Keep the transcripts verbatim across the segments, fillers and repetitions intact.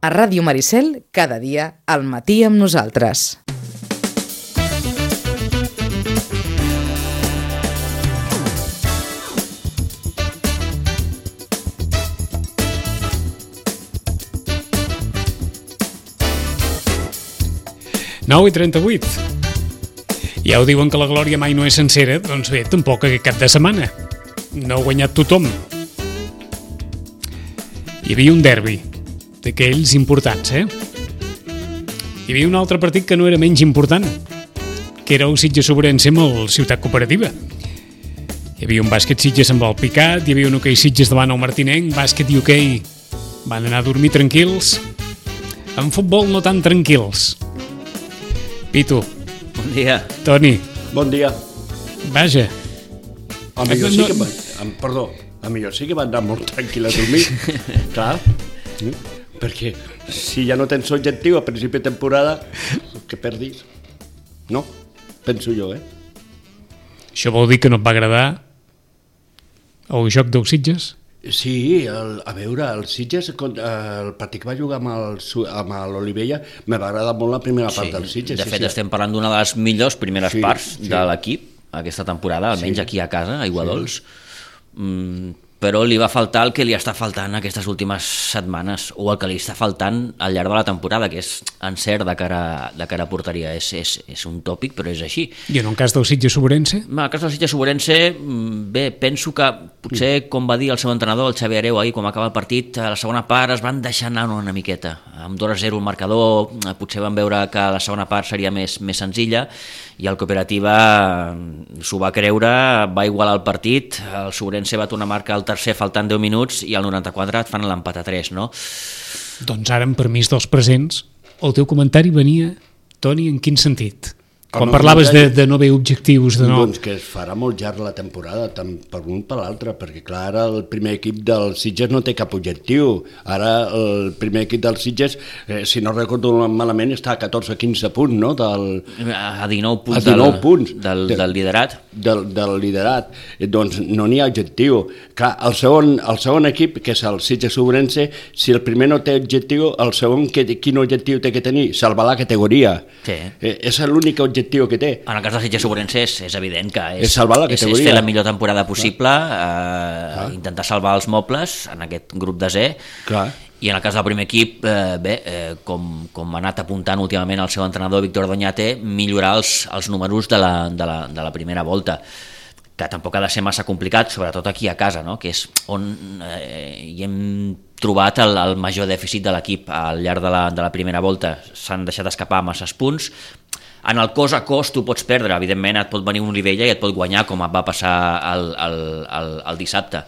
A Ràdio Maricel, cada dia, al matí amb nosaltres. nou i trenta-vuit. Ja ho diuen que la glòria mai no és sencera, doncs bé, tampoc aquest cap de setmana. No ha guanyat tothom. Hi havia un derbi, d'aquells importants, eh? Hi havia un altre partit que no era menys important, que era el Sitges-Sobrense amb el Ciutat Cooperativa. Hi havia un bàsquet Sitges amb el Picat, hi havia un hoquei Sitges davant el Martinenc, bàsquet i hoquei van anar a dormir tranquils. En futbol no tan tranquils. Pitu. Bon dia. Toni. Bon dia. Vaja. A millor sí que van, perdó, a millor sí que van anar molt tranquil a dormir. Clar, perquè si ja no tens objectiu a principi de temporada, que perdis. No? Penso jo, eh? Això vol dir que no et va agradar el joc dels Sitges? Sí, el, a veure, el Sitges, el partit que va jugar amb el, amb l'Olivella, me va agradar molt la primera part sí, del Sitges. De sí, fet, sí. estem parlant d'una de les millors primeres sí, parts sí. de l'equip aquesta temporada, almenys sí. aquí a casa, a Aiguadols. Sí. Mm, però li va faltar el que li està faltant aquestes últimes setmanes, o el que li està faltant al llarg de la temporada, que és encert de cara, de cara a porteria. És, és, és un tòpic, però és així. I en el cas del Sitges-Sobrense? En el cas del Sitges-Sobrense, bé, penso que potser, com va dir el seu entrenador, el Xavi Hereu, ahir, quan va acabar el partit, a la segona part es van deixar anar una miqueta. Amb dos a zero el marcador, potser van veure que la segona part seria més, més senzilla, i el Cooperativa s'ho va creure, va igualar el partit, el Sobrense va tornar a marcar el tercer faltant deu minuts i al noranta-quatre et fan l'empat a tres, no? Doncs ara, amb permís dels presents, el teu comentari venia, Toni, en quin sentit? Quan parlaves de, de no haver objectius, de no... Doncs que es farà molt llarg la temporada, tant per un per l'altre, perquè clar, ara el primer equip del Sitges no té cap objectiu. Ara el primer equip del Sitges, eh, si no recordo malament, està a catorze quinze punts, no? Del, a dinou punts, a dinou del, punts del, del liderat. Del, del liderat. Eh, doncs no n'hi ha objectiu. Clar, el segon, el segon equip, que és el Sitges-Sobrense, si el primer no té objectiu, el segon que, quin objectiu té que tenir? Salvar la categoria. Sí. Eh, és l'únic objectiu que té. En el cas del Sitges-Sobrense és, és evident que és, és, salvar la és, és fer la millor temporada possible, eh, ah. intentar salvar els mobles en aquest grup de Z. Clar. I en el cas del primer equip, eh, bé, eh, com, com ha anat apuntant últimament el seu entrenador Víctor Doñate, millorar els, els números de la, de, la, de la primera volta, que tampoc ha de ser massa complicat, sobretot aquí a casa, no? Que és on eh, hi hem trobat el, el major dèficit de l'equip al llarg de la, de la primera volta. S'han deixat escapar masses punts. En el cos a cos tu pots perdre, evidentment et pot venir un Olivella i et pot guanyar, com et va passar el, el, el, el dissabte.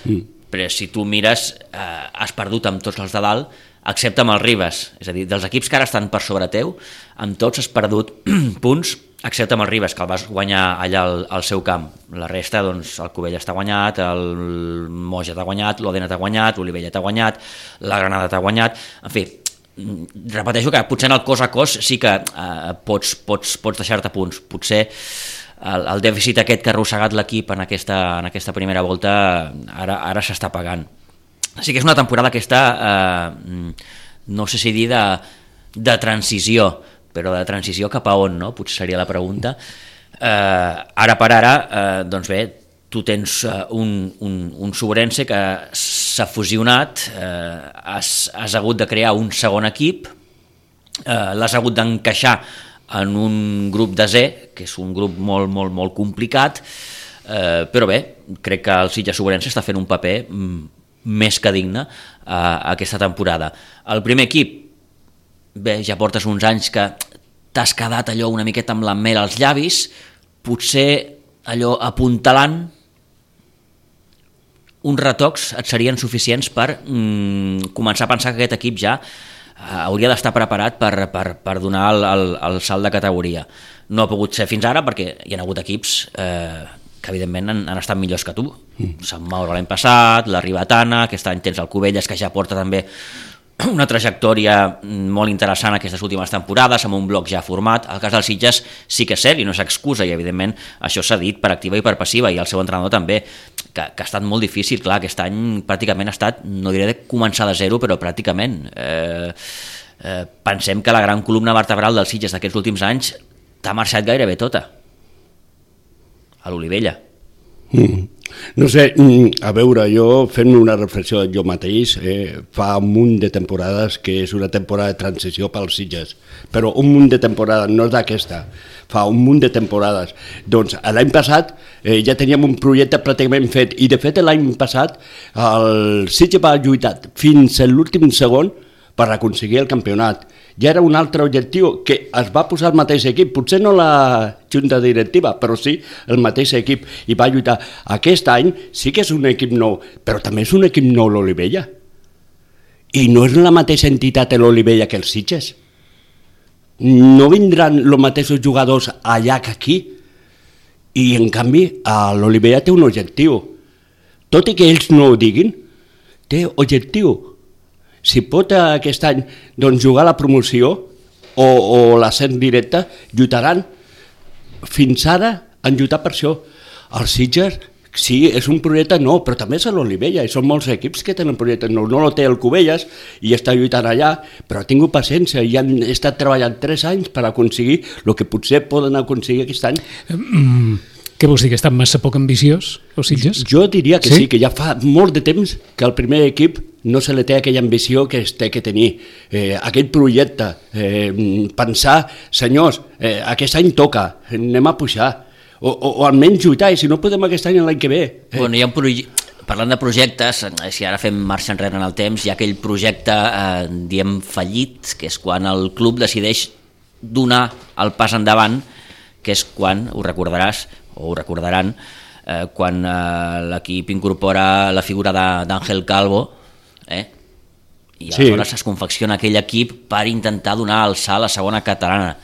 Mm. Però si tu mires, eh, has perdut amb tots els de dalt, excepte amb els Ribes. És a dir, dels equips que ara estan per sobre teu, amb tots has perdut punts, excepte amb el Ribes, que el vas guanyar allà al, al seu camp. La resta, doncs, el Cubella està guanyat, el Moja t'ha guanyat, l'Odena t'ha guanyat, l'Olivella t'ha guanyat, la Granada t'ha guanyat, en fi, repeteixo que potser en el cos a cos sí que eh, pots, pots, pots deixar-te punts. Potser el, el dèficit aquest que ha arrossegat l'equip en aquesta, en aquesta primera volta ara, ara s'està pagant. Així que és una temporada que està, eh, no sé si dir de, de transició, però de transició cap a on, no? Potser seria la pregunta. Eh, ara per ara, eh, doncs bé, tu tens un, un, un Sobrense que s'ha fusionat, eh, has, has hagut de crear un segon equip, eh, l'has hagut d'encaixar en un grup de Z, que és un grup molt, molt, molt complicat, eh, però bé, crec que el Sitges-Sobrense està fent un paper mm, més que digne eh, aquesta temporada. El primer equip, bé, ja portes uns anys que t'has quedat allò una miqueta amb la mel als llavis, potser allò apuntalant, uns retocs et serien suficients per mm, començar a pensar que aquest equip ja eh, hauria d'estar preparat per, per, per donar el, el, el salt de categoria. No ha pogut ser fins ara perquè hi ha hagut equips eh, que evidentment han, han estat millors que tu. Mm. Sant Mauro l'any passat, la Ribatana, aquest any tens el Cubelles, que ja porta també una trajectòria molt interessant aquestes últimes temporades, amb un bloc ja format. El cas dels Sitges sí que és cert i no és excusa, i evidentment això s'ha dit per activa i per passiva, i el seu entrenador també, que, que ha estat molt difícil. Clar, aquest any pràcticament ha estat, no diré de començar de zero, però pràcticament. Eh, eh, pensem que la gran columna vertebral dels Sitges d'aquests últims anys t'ha marxat gairebé tota, a l'Olivella. Mm. No sé, a veure, jo fent una reflexió jo mateix, eh, fa un munt de temporades que és una temporada de transició pels Sitges, però un munt de temporades, no és d'aquesta, fa un munt de temporades. Doncs l'any passat eh, ja teníem un projecte pràcticament fet, i de fet l'any passat el Sitges va lluitar fins a l'últim segon per aconseguir el campionat. Ja era un altre objectiu que es va posar el mateix equip, potser no la junta directiva, però sí el mateix equip, i va lluitar. Aquest any sí que és un equip nou, però també és un equip nou l'Olivella. I no és la mateixa entitat de l'Olivella que els Sitges. No vindran els mateixos jugadors allà que aquí. I en canvi l'Olivella té un objectiu. Tot i que ells no ho diguin, té objectiu. Si pot aquest any doncs, jugar la promoció o, o l'ascens directe, lluitaran. Fins ara han lluitat per això. Els Sitges, sí, és un projecte nou, però també és a l'Olivella, i són molts equips que tenen projectes nous. No el té el Cubelles i està lluitant allà, però ha tingut paciència i han estat treballant tres anys per aconseguir el que potser poden aconseguir aquest any. Mm. Què vols dir, que estan massa poc ambiciós, els Sitges? Jo diria que sí, sí, que ja fa molt de temps que el primer equip no se li té aquella ambició que es té que tenir, eh, aquell projecte, eh, pensar, senyors, eh, aquest any toca, anem a pujar, o, o, o almenys lluitar, i si no podem aquest any l'any que ve. Eh. Bueno, hi ha un proje... Parlant de projectes, si ara fem marxa enrere en el temps, hi ha aquell projecte, eh, diem fallit, que és quan el club decideix donar el pas endavant, que és quan, ho recordaràs, o ho recordaran, eh, quan eh, l'equip incorpora la figura d'Àngel Calvo, eh? i aleshores sí. es confecciona aquell equip per intentar donar el salt a la segona catalana.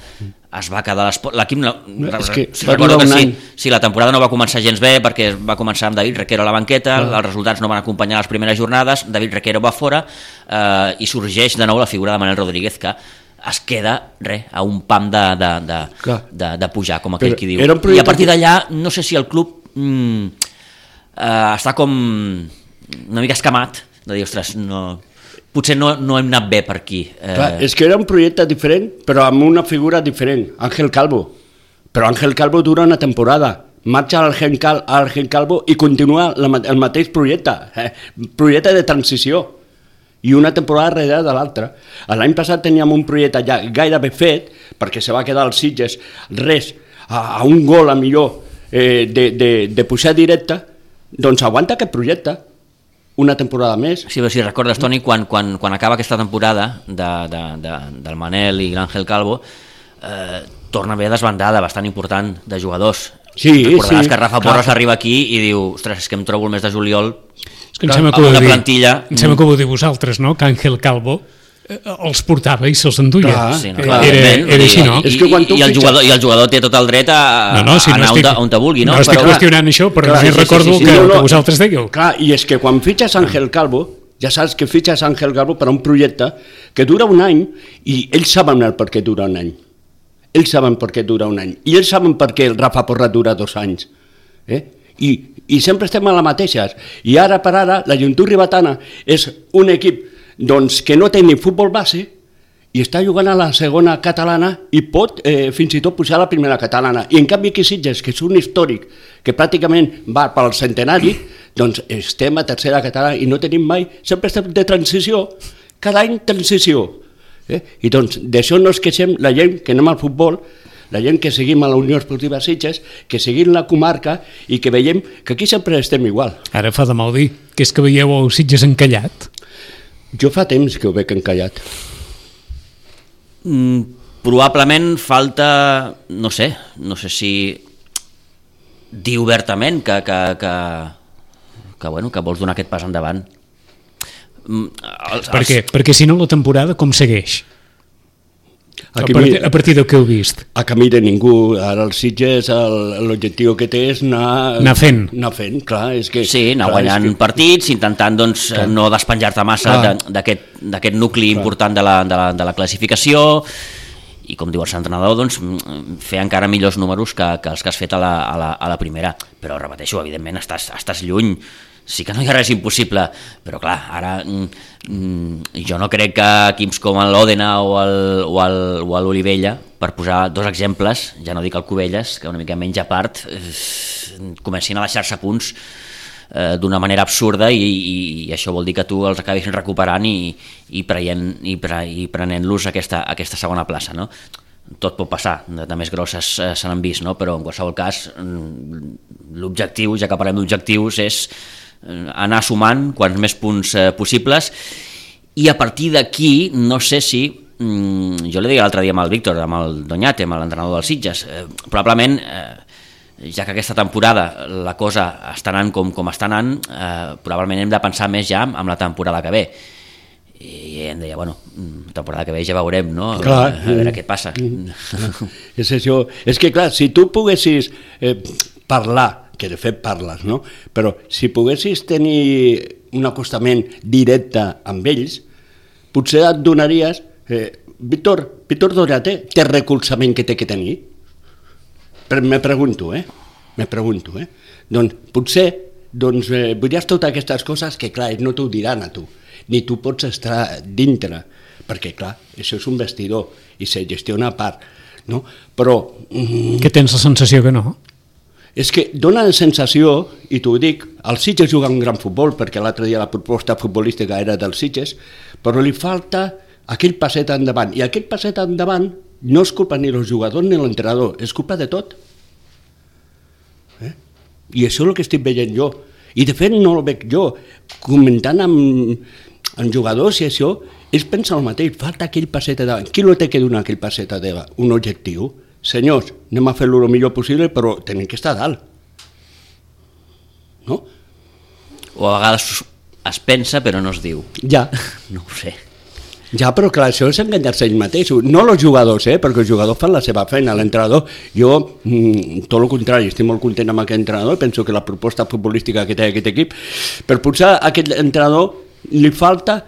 Es va quedar l'equip... No, és que recordo que sí, sí, la temporada no va començar gens bé, perquè va començar amb David Requero a la banqueta, ah. els resultats no van acompanyar les primeres jornades, David Requero va fora, eh, i sorgeix de nou la figura de Manel Rodríguez, que es queda re, a un pam de, de, de, de, de pujar, com aquell qui diu. I a partir d'allà, no sé si el club mm, eh, està com una mica escamat, de dir, ostres, no, potser no, no hem anat bé per aquí. Eh... Clar, és que era un projecte diferent, però amb una figura diferent, Àngel Calvo. Però Àngel Calvo dura una temporada, marxa l'Àngel Cal, Calvo i continua el mateix projecte, eh, projecte de transició. I una temporada darrere de l'altra. L'any passat teníem un projecte ja gairebé fet, perquè se va quedar als Sitges res, a, a un gol a millor eh, de, de, de pujar directe, doncs aguanta aquest projecte una temporada més. Sí, però si recordes, Toni, quan, quan, quan acaba aquesta temporada de, de, de, del Manel i l'Àngel Calvo, eh, torna a haver desbandada bastant important de jugadors. Sí, recordaràs sí, que Rafa Porras arriba aquí i diu, ostres, és que em trobo el mes de juliol que em sembla que amb una plantilla... Em sembla que ho diu vosaltres, no? Que Àngel Calvo eh, els portava i se'ls enduia. Clar, sí, no, era, era, era així, no? I, i, i, el jugador, I el jugador té tot el dret a, no, no, si a anar no estic, on te vulgui, no? No estic però, qüestionant això, però clar, sí, recordo sí, sí, sí, que, no, no, que vosaltres dèieu. Clar, i és que quan fitxes Àngel Calvo, ja saps que fitxes Àngel Calvo per a un projecte que dura un any, i ells saben el per què dura un any. Ells saben per què dura un any. I ells saben per què el Rafa Porras dura dos anys. Eh? I, i sempre estem a la mateixa, i ara per ara la Joventut Ribetana és un equip doncs, que no té ni futbol base i està jugant a la segona catalana i pot eh, fins i tot pujar a la primera catalana, i en canvi aquí Sitges, que és un històric que pràcticament va pel centenari, doncs estem a tercera catalana i no tenim mai, sempre estem de transició, cada any transició, eh? I doncs d'això no es queixem la gent que anem al futbol, la gent que seguim a la Unió Esportiva Sitges, que seguim la comarca i que veiem que aquí sempre estem igual. Ara fa de mal dir, que és que veieu el Sitges encallat? Jo fa temps que ho veig encallat. Mm, probablement falta, no sé, no sé si dir obertament que, que, que, que, bueno, que vols donar aquest pas endavant. Mm, els, per què? Els... Perquè si no la temporada com segueix? A, part, a partir del que heu vist? A camí de ningú. Ara els Sitges, el- l'objectiu que té és anar... Anar fent. Anar fent, clar. És que, Sí, anar clar, guanyant és que, partits, intentant doncs, Clar. no despenjar-te massa Clar. de- d'aquest d'aquest nucli important de la, de, la, de la classificació i, com diu el seu entrenador, doncs, mm, fer encara millors números que, que els que has fet a la, a la, a la primera. Però, repeteixo, evidentment estàs, estàs lluny. Sí que no hi ha res impossible, però clar, ara mm, jo no crec que equips com l'Òdena o el, o el, o l'Olivella, per posar dos exemples, ja no dic el Cubelles, que una mica menys a part, eh, comencin a deixar-se punts eh, d'una manera absurda i, i, i això vol dir que tu els acabis recuperant i, i, preient, i, pre, i prenent-los aquesta, aquesta segona plaça, no? Tot pot passar, de, de més grosses eh, se n'han vist, no? Però en qualsevol cas mm, l'objectiu, ja que parlem d'objectius, és anar sumant quants més punts eh, possibles, i a partir d'aquí no sé si mm, jo li deia l'altre dia amb el Víctor, amb el Doñate, amb l'entrenador dels Sitges, eh, probablement eh, ja que aquesta temporada la cosa està anant com, com està anant, eh, probablement hem de pensar més ja amb la temporada que ve, i em deia, bueno, temporada que ve ja veurem, no? Clar. A veure què passa. És això. És que, clar, si tu poguessis eh, parlar, que de fet parles, no? Però si poguessis tenir un acostament directe amb ells, potser et donaries... Eh, Víctor, Víctor Doñate té recolzament que té que tenir? Però me pregunto, eh? Me pregunto, eh? Doncs potser doncs, eh, veuries totes aquestes coses que, clar, ells no t'ho diran a tu, ni tu pots estar dintre, perquè, clar, això és un vestidor i se gestiona a part, no? Però... Mm, Que tens la sensació que no? és que dona la sensació, i t'ho dic, els Sitges juguen un gran futbol, perquè l'altre dia la proposta futbolística era dels Sitges, però li falta aquell passet endavant, i aquell passet endavant no és culpa ni dels jugadors ni l'entrenador, és culpa de tot. Eh? I això és el que estic veient jo, i de fet no el veig jo, comentant amb, amb jugadors i això, ells pensen el mateix, falta aquell passet endavant. Qui no té que donar aquell passet endavant? Un objectiu. Senyors, anem a fer-lo el millor possible, però tenim que estar a dalt. No? O a vegades es pensa però no es diu. Ja, No ho sé. ja, però clar, això és enganyar-se ells mateixos. No els jugadors, eh? Perquè els jugadors fan la seva feina. L'entrenador, jo, mm, tot el contrari, estic molt content amb aquest entrenador, penso que la proposta futbolística que té aquest equip, per posar aquest entrenador li falta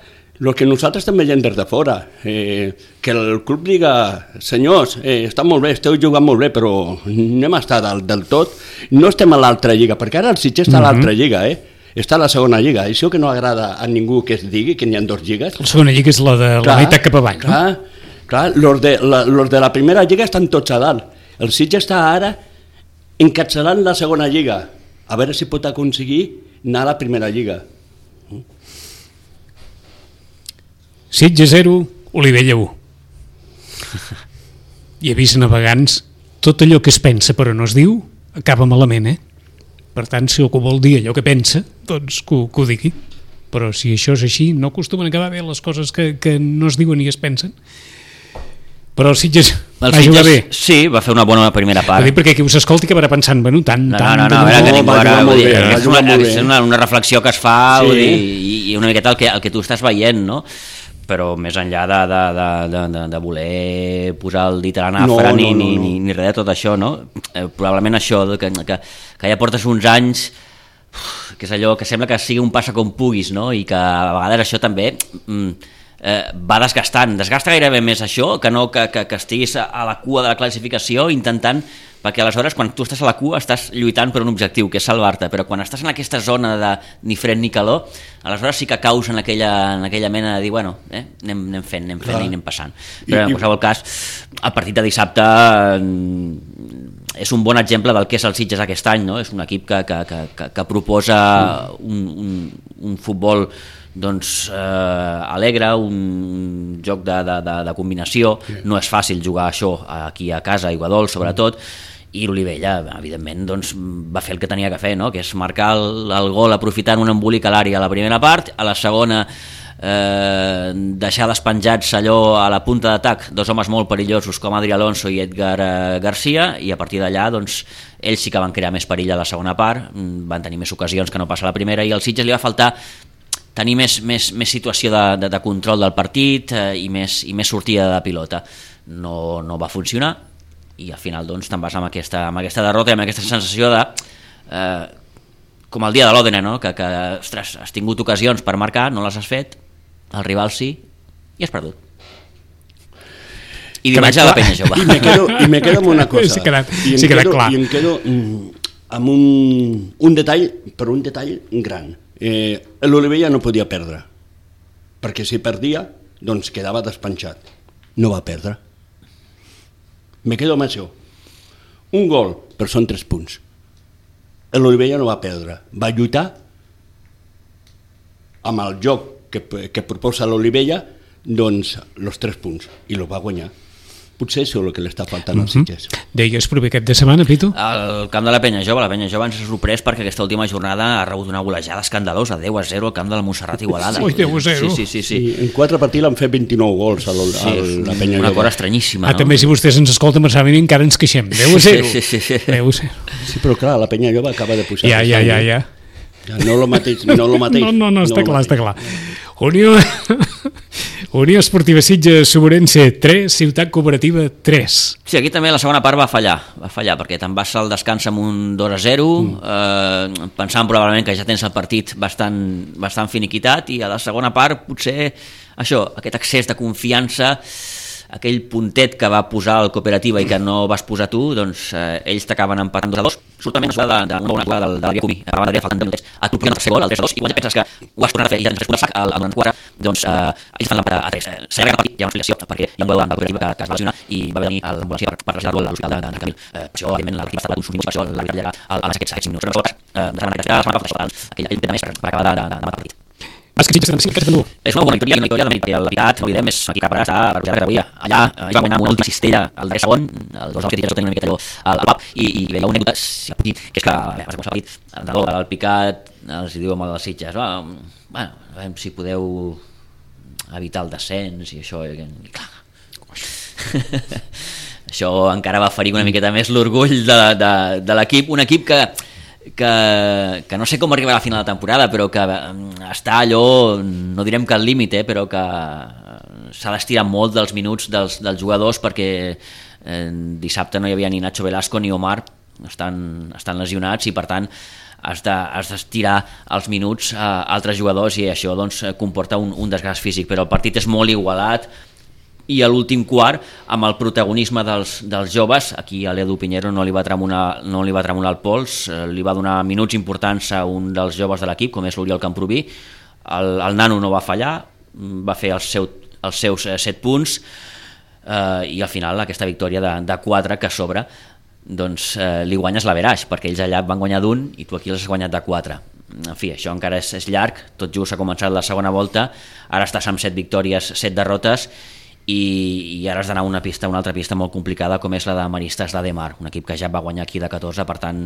el que nosaltres també veiem des de fora, eh, que el club diga, senyors, eh, està molt bé, esteu jugant molt bé, però anem a estar del, del tot, no estem a l'altra lliga, perquè ara el Sitges està a l'altra lliga, eh? Està a la segona lliga, això que no agrada a ningú que es digui, que n'hi ha dues lligues. La segona lliga és la de la meitat cap avall, no? Clar, clar, los de la, los de la primera lliga estan tots a dalt, el Sitges està ara encapçalant la segona lliga, a veure si pot aconseguir anar a la primera lliga. Sitges zero, Olivella u. I avís navegants, tot allò que es pensa però no es diu, acaba malament, eh? Per tant, si algú vol dir allò que pensa, doncs que, ho- que ho digui. Però si això és així, no acostumen a acabar bé les coses que, que no es diuen ni es pensen. Però el Sitges El va jugar bé. Sitges, sí, va fer una bona primera Va part. dir perquè qui us escolti acabarà pensant, bueno, tant, No, tant... no, no, tant, a veure, que no, ningú va ara, jugar molt vull dir, bé, va és, jugar una, molt és bé. una, una reflexió que es fa, Sí. vull dir, i, i una miqueta el que, el que tu estàs veient, no? Però més enllà de, de, de, de, de, de voler posar el dit a la nafra No, no, ni, no, ni, no. ni, ni res de tot això, no? Eh, probablement això, que, que, que ja portes uns anys, uf, que és allò que sembla que sigui un passa com puguis, no? I que a vegades això també mm, eh, va desgastant, desgasta gairebé més això que no que, que, que estiguis a la cua de la classificació intentant, perquè aleshores quan tu estàs a la cua estàs lluitant per un objectiu que és salvar-te, però quan estàs en aquesta zona de ni fred ni calor, aleshores sí que caus en aquella, en aquella mena de dir, bueno, eh, anem, anem fent, anem fent Clar. i anem passant. Però I- en qualsevol cas, el partit de dissabte mm, és un bon exemple del que és el Sitges aquest any, no? És un equip que, que, que, que, que proposa un, un, un futbol doncs, eh, alegre, un joc de, de, de, de combinació. No és fàcil jugar això aquí a casa, a Iguadol sobretot, i l'Olivella, evidentment, doncs, va fer el que tenia que fer, no? Que és marcar el, el gol aprofitant un embolic a l'àrea a la primera part, a la segona eh, deixar despenjats allò a la punta d'atac, dos homes molt perillosos com Adri Alonso i Edgar eh, Garcia, i a partir d'allà doncs, ells sí que van crear més perill a la segona part, van tenir més ocasions que no passa a la primera, i al Sitges li va faltar tenir més, més, més situació de, de, de control del partit eh, i, més, i més sortida de pilota. no, no va funcionar, i al final doncs, te'n vas amb aquesta, amb aquesta derrota i amb aquesta sensació de eh, com el dia de l'Òdena, no? que, que ostres, has tingut ocasions per marcar, no les has fet, el rival sí, i has perdut. I dimarts a la Penya Jove. I me quedo, i me quedo amb una cosa. Sí, quedat, I em sí, quedat quedo, clar. I em quedo amb un, un detall, però un detall gran. Eh, L'Olivella no podia perdre, perquè si perdia, doncs quedava despenjat. No va perdre. Me quedo amb això. Un gol, però són tres punts. L'Olivella no va perdre. Va lluitar amb el joc que, que proposa l'Olivella, doncs, els tres punts, i los va guanyar. Potser això és el que li està faltant als Sitges. Mm-hmm. Deies proper aquest de setmana, Pitu? El camp de la Penya Jove, la Penya Jove ens ha sorprès perquè aquesta última jornada ha rebut una golejada escandalosa, deu a zero al camp de la Montserrat Igualada. Ui, deu a zero. Sí, sí, sí, sí. I en quatre partits l'han fet vint-i-nou gols a, sí, a la Penya una Jove. cosa estranyíssima, Ah, no? també si vostès ens escolten mensalment encara ens queixem. deu a zero. Sí, sí, sí, sí. deu a zero. Sí, però clar, la Penya Jove acaba de pujar. Ja, ja, ja, ja. No lo mateix, no lo mateix. No, no, no, està lo clar, mateix. està clar. Unió, Unió Esportiva Sitges Sobrense tres, Ciutat Cooperativa tres. Sí, aquí també la segona part va fallar, va fallar perquè te'n vas al descans amb un dos a zero, mm. eh, pensant probablement que ja tens el partit bastant, bastant finiquitat, i a la segona part potser això, aquest excés de confiança, aquell puntet que va posar el Cooperativa i que no vas posar tu, doncs eh, ells t'acaben empatant dos a dos, surtament una jugada de, de, una jugada de, de l'àrea Cubi, a l'àrea faltant deu minuts, a tu el tercer gol, el tres a dos, i quan ja penses que ho has tornat a fer i ja tens tres punts al sac, al noranta-quatre, doncs eh, ells fan l'empat a tres. Eh, s'allarga el partit, hi ha una explicació, perquè hi ha un gol del Cooperativa que, que es va lesionar i va haver venir a l'ambulància per, per traslladar-lo a l'hospital de, de, de Camil. Eh, per això, evidentment, la partida va estar uns minuts, per això l'àrbitre llarga a aquests, aquests minuts. Però no eh, de la setmana passada, aquell ell té més per, per acabar de, de, de, de matar el partit. Vas que Sitges trenta-cinc, aquest trenta-u. És una bona victòria, una victòria de mèrit, el veritat, no oblidem, és aquí cap ara està per pujar la categoria. Allà eh, va guanyar amb una última cistella al darrer segon, els dos homes que tenia tenen una miqueta allò al, al pap, i, i veia una anècdota, si ha potit, que és que, bé, va ser partit, el nadó, el picat, els diu amb els Sitges, va, bueno, a veure si podeu evitar el descens i això, i, i clar, això encara va ferir una miqueta més l'orgull de, de, de l'equip, un equip que Que, que no sé com arribarà a la final de temporada, però que està allò, no direm que al límit, eh, però que s'ha d'estirar molt dels minuts dels, dels jugadors, perquè eh, dissabte no hi havia ni Nacho Velasco ni Omar, estan, estan lesionats, i per tant has d'estirar de, els minuts a altres jugadors, i això doncs, comporta un, un desgast físic, però el partit és molt igualat, i a l'últim quart, amb el protagonisme dels, dels joves, aquí a l'Edu Pinheiro no li va tremolar, no li va tremolar el pols, eh, li va donar minuts importants a un dels joves de l'equip, com és l'Oriol Camproví, el, el nano no va fallar, va fer el seu, els seus eh, set punts, eh, i al final aquesta victòria de, de quatre que sobre, doncs eh, li guanyes l'averaix, perquè ells allà van guanyar d'un i tu aquí els has guanyat de quatre. En fi, això encara és, és llarg, tot just ha començat la segona volta, ara estàs amb set victòries, set derrotes, i, i ara has d'anar a una pista, una altra pista molt complicada, com és la de Maristes d'Ademar, un equip que ja va guanyar aquí de catorze, per tant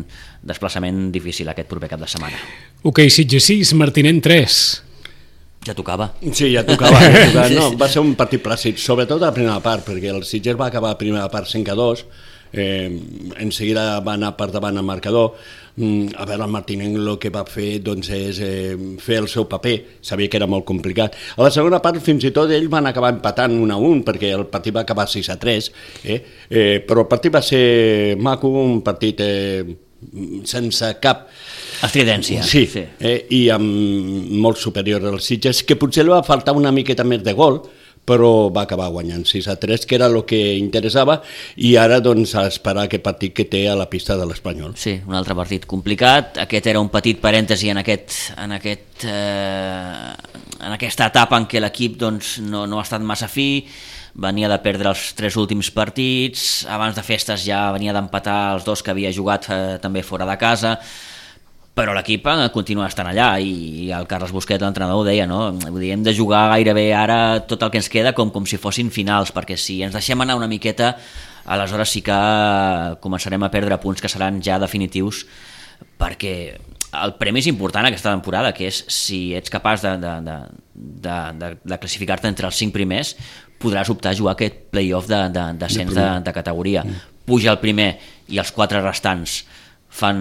desplaçament difícil aquest proper cap de setmana. Ok, Sitges sis, Martinent tres. Ja tocava. Sí, ja tocava, ja tocava. No, va ser un partit plàcid, sobretot a la primera part, perquè el Sitges va acabar la primera part cinc a dos, eh, en seguida va anar per davant el marcador. A veure, el Martinenc el que va fer doncs, és eh, fer el seu paper, sabia que era molt complicat. A la segona part fins i tot ells van acabar empatant un a un, perquè el partit va acabar sis a tres, eh? Eh, però el partit va ser maco, un partit eh, sense cap estridència. Sí, sí. Eh, i amb molt superior als Sitges, que potser li va faltar una miqueta més de gol, però va acabar guanyant sis a tres, que era el que interessava, i ara doncs a esperar aquest partit que té a la pista de l'Espanyol. Sí, un altre partit complicat, aquest era un petit parèntesi en, aquest, en, aquest, eh, en aquesta etapa en què l'equip doncs, no, no ha estat massa fi, venia de perdre els tres últims partits, abans de festes ja venia d'empatar els dos que havia jugat eh, també fora de casa, però l'equip continua estant allà, i el Carles Busquet, l'entrenador, ho deia, no? Vull dir, hem de jugar gairebé ara tot el que ens queda com, com si fossin finals, perquè si ens deixem anar una miqueta, aleshores sí que començarem a perdre punts que seran ja definitius, perquè el premi és important aquesta temporada, que és si ets capaç de, de, de, de, de, de classificar-te entre els cinc primers, podràs optar a jugar aquest play-off de, de, descens de, de categoria. Puja el primer i els quatre restants fan,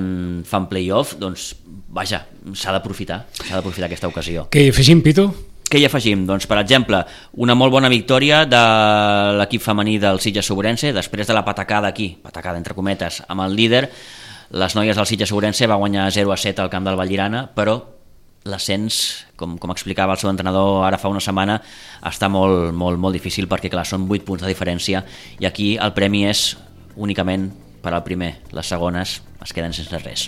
fan play-off, doncs vaja, s'ha d'aprofitar s'ha d'aprofitar aquesta ocasió. Què hi afegim, Pitu? què hi afegim? Doncs, per exemple, una molt bona victòria de l'equip femení del Sitges Sobrense, després de la patacada aquí, patacada entre cometes, amb el líder. Les noies del Sitges Sobrense va guanyar zero a set al camp del Vallirana, però l'ascens, com, com explicava el seu entrenador ara fa una setmana, està molt, molt, molt difícil perquè, clar, són vuit punts de diferència i aquí el premi és únicament per al primer. Les segones es queden sense res.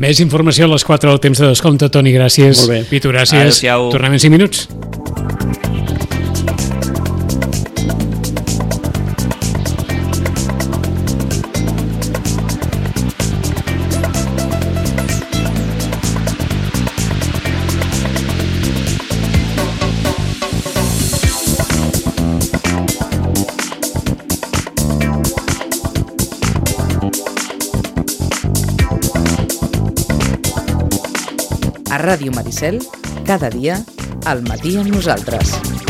Més informació a les quatre del temps de descompte. Toni, gràcies. Molt bé. Pitu, gràcies. Adéu-siau. Tornem en cinc minuts. A Ràdio Maricel, cada dia, al matí amb nosaltres.